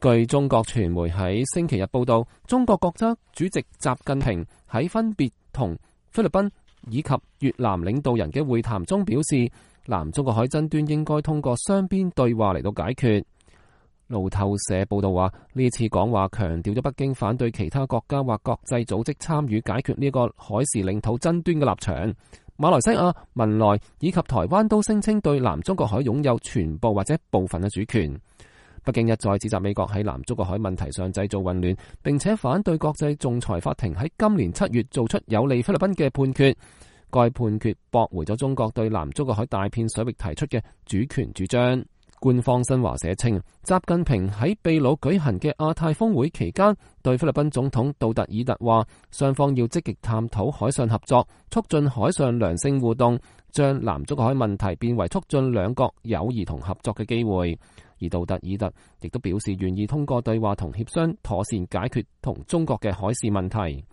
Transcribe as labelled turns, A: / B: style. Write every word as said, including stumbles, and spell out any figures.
A: 據中國傳媒喺星期日報道，中國國家主席習近平喺分別同菲律賓以及越南領導人嘅會談中表示，南中國海爭端應該通過雙邊對話嚟到解決。路透社報道話，呢次講話強調咗北京反對其他國家或國際組織參與解決呢個海事領土爭端嘅立場。馬來西亞、文萊以及台灣都聲稱對南中國海擁有全部或者部分嘅主權。北京一再指責美國喺南中國海問題上製造混亂，並且反對國際仲裁法庭喺今年七月做出有利菲律賓嘅判決。該判決駁回咗中國對南中國海大片水域提出嘅主權主張。官方新華社稱，習近平喺秘魯舉行嘅亞太峰會期間，對菲律賓總統杜特爾特話，雙方要積極探討海上合作，促進海上良性互動，將南中國海問題變為促進兩國友誼同合作嘅機會。而杜特爾特亦都表示願意通過對話同協商，妥善解決同中國嘅海事問題。